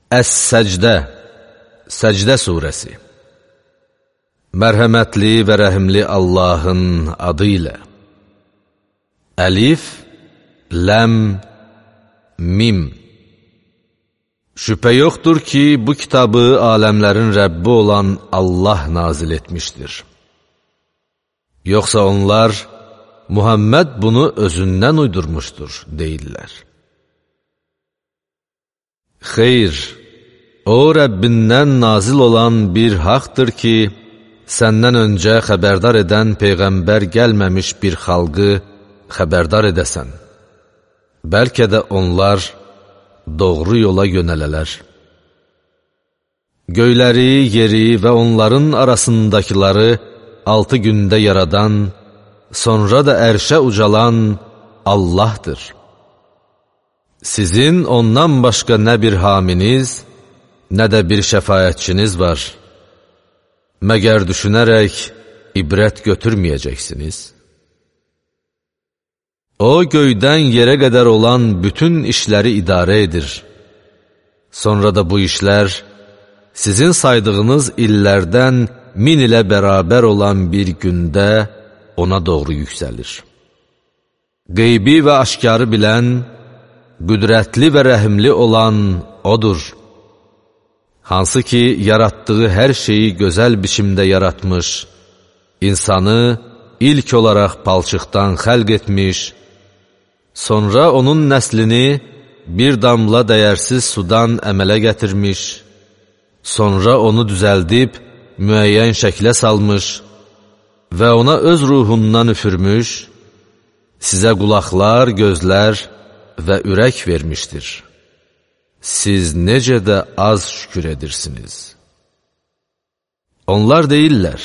Əs-Səcdə, Səcdə surəsi. Mərhəmətli və rəhimli Allahın adı ilə. Əlif, Ləm, Mim. Şübhə yoxdur ki, bu kitabı aləmlərin Rəbbi olan Allah nazil etmişdir. Yoxsa onlar, Muhammed bunu özündən uydurmuşdur, deyirlər. Xeyr, o Rəbbindən nazil olan bir haqdır ki, səndən öncə xəbərdar edən Peyğəmbər gəlməmiş bir xalqı xəbərdar edəsən. Bəlkə də onlar doğru yola yönələlər. Göyləri, yeri və onların arasındakiləri 6 gündə yaradan, sonra da ərşə ucalan Allahdır. Sizin ondan başqa nə bir haminiz, nə də bir şəfaətçiniz var. Məgər düşünərək ibrət götürməyəcəksiniz? O, göydən yerə qədər olan bütün işləri idarə edir. Sonra da bu işlər, sizin saydığınız illərdən 1000 ilə bərabər olan bir gündə ona doğru yüksəlir. Qeybi və aşkarı bilən, qüdrətli və rəhimli olan odur. Hansı ki, yaratdığı hər şeyi gözəl biçimdə yaratmış, insanı ilk olaraq palçıqdan xəlq etmiş, sonra onun nəslini bir damla dəyərsiz sudan əmələ gətirmiş, sonra onu düzəldib müəyyən şəklə salmış və ona öz ruhundan üfürmüş, sizə qulaqlar, gözlər və ürək vermişdir. Siz necə də az şükür edirsiniz. Onlar deyirlər,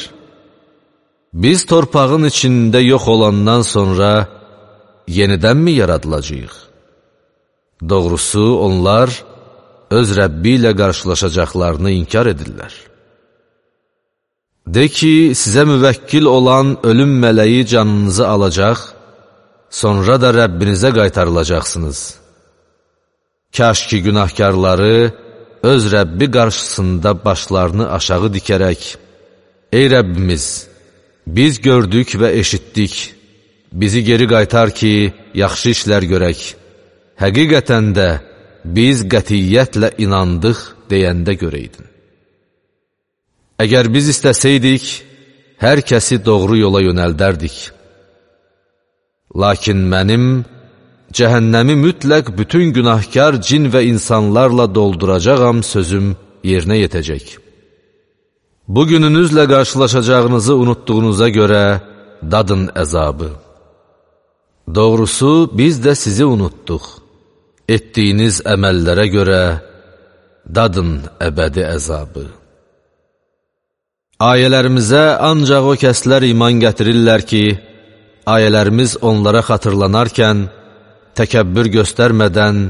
biz torpağın içində yox olandan sonra yenidənmi yaradılacağıq? Doğrusu onlar öz Rəbbi ilə qarşılaşacaqlarını inkar edirlər. De ki, sizə müvəkkil olan ölüm mələyi canınızı alacaq, sonra da Rəbbinizə qaytarılacaqsınız. Kaş ki, günahkarları öz Rəbbi qarşısında başlarını aşağı dikərək, ey Rəbbimiz, biz gördük və eşitdik, bizi geri qaytar ki, yaxşı işlər görək. Həqiqətən də biz qətiyyətlə inandıq deyəndə görəydin. Əgər biz istəsəydik, hər kəsi doğru yola yönəldərdik. Lakin mənim cəhənnəmi mütləq bütün günahkar cin və insanlarla dolduracağam sözüm yerinə yetəcək. Bugününüzlə qarşılaşacağınızı unutduğunuza görə dadın əzabı. Doğrusu biz də sizi unutduq. Etdiyiniz əməllərə görə dadın əbədi əzabı. Ayələrimizə ancaq o kəslər iman gətirirlər ki, ayələrimiz onlara xatırlanarkən, təkəbbür göstərmədən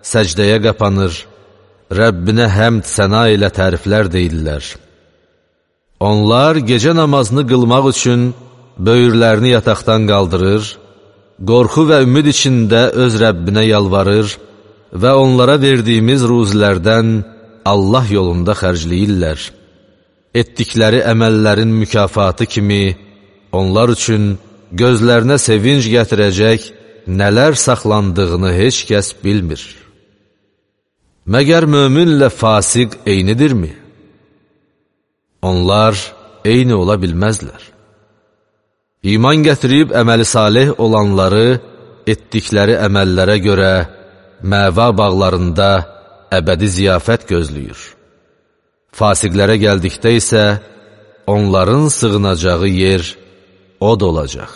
səcdəyə qapanır, Rəbbinə həmd səna ilə təriflər deyirlər. Onlar gecə namazını qılmaq üçün böyürlərini yataqdan qaldırır, qorxu və ümid içində öz Rəbbinə yalvarır və onlara verdiyimiz ruzilərdən Allah yolunda xərcləyirlər. Etdikləri əməllərin mükafatı kimi onlar üçün gözlərinə sevinc gətirəcək nələr saxlandığını heç kəs bilmir. Məgər möminlə fasiq eynidirmi? Onlar eyni ola bilməzlər. İman gətirib əməli salih olanları etdikləri əməllərə görə məva bağlarında əbədi ziyafət gözləyir. Fasiqlərə gəldikdə isə onların sığınacağı yer od olacaq.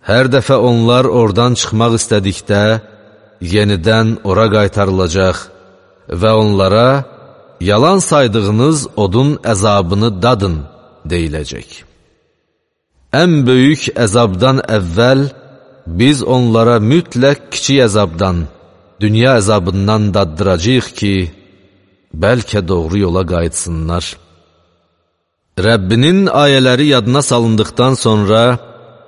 Hər dəfə onlar oradan çıxmaq istədikdə, yenidən ora qaytarılacaq və onlara yalan saydığınız odun əzabını dadın deyiləcək. Ən böyük əzabdan əvvəl biz onlara mütləq kiçik əzabdan, dünya əzabından daddıracağıq ki, bəlkə doğru yola qayıtsınlar. Rəbbinin ayələri yadına salındıqdan sonra,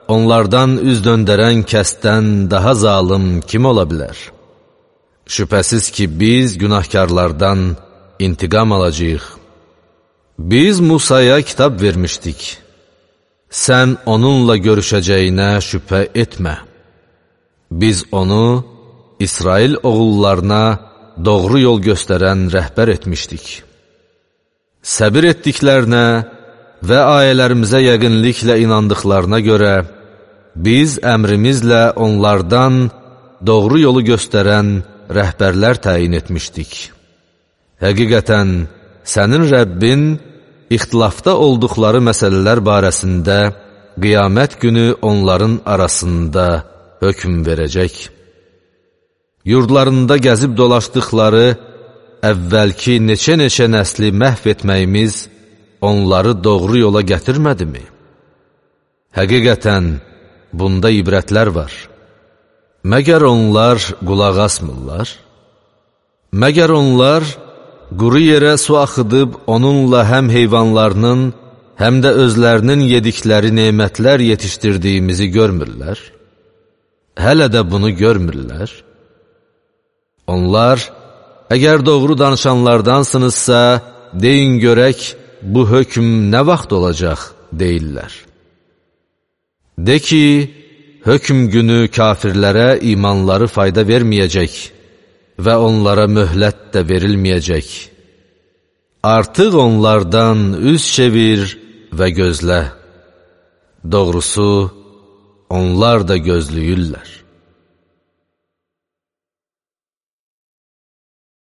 onlardan üz döndərən kəsdən daha zalım kim ola bilər? Şübhəsiz ki, biz günahkarlardan intiqam alacağıq. Biz Musaya kitab vermişdik. Sən onunla görüşəcəyinə şübhə etmə. Biz onu İsrail oğullarına doğru yol göstərən rəhbər etmişdik. Səbir etdiklərinə və ayələrimizə yəqinliklə inandıqlarına görə biz əmrimizlə onlardan doğru yolu göstərən rəhbərlər təyin etmişdik. Həqiqətən, sənin Rəbbin ixtilafda olduqları məsələlər barəsində qiyamət günü onların arasında hökm verəcək. Yurdlarında gəzib dolaşdıqları əvvəlki neçə-neçə nəsli məhv etməyimiz onları doğru yola gətirmədimi? Həqiqətən, bunda ibrətlər var. Məgər onlar qulaq asmırlar? Məgər onlar quru yerə su axıdıb onunla həm heyvanlarının, həm də özlərinin yedikləri nemətlər yetişdirdiyimizi görmürlər? Hələ də bunu görmürlər. Onlar, əgər doğru danışanlardansınızsa, deyin görək, bu hökm nə vaxt olacaq, deyirlər. De ki, hökm günü kafirlərə imanları fayda verməyəcək və onlara möhlət də verilməyəcək. Artıq onlardan üz çevir və gözlə. Doğrusu, onlar da gözləyirlər.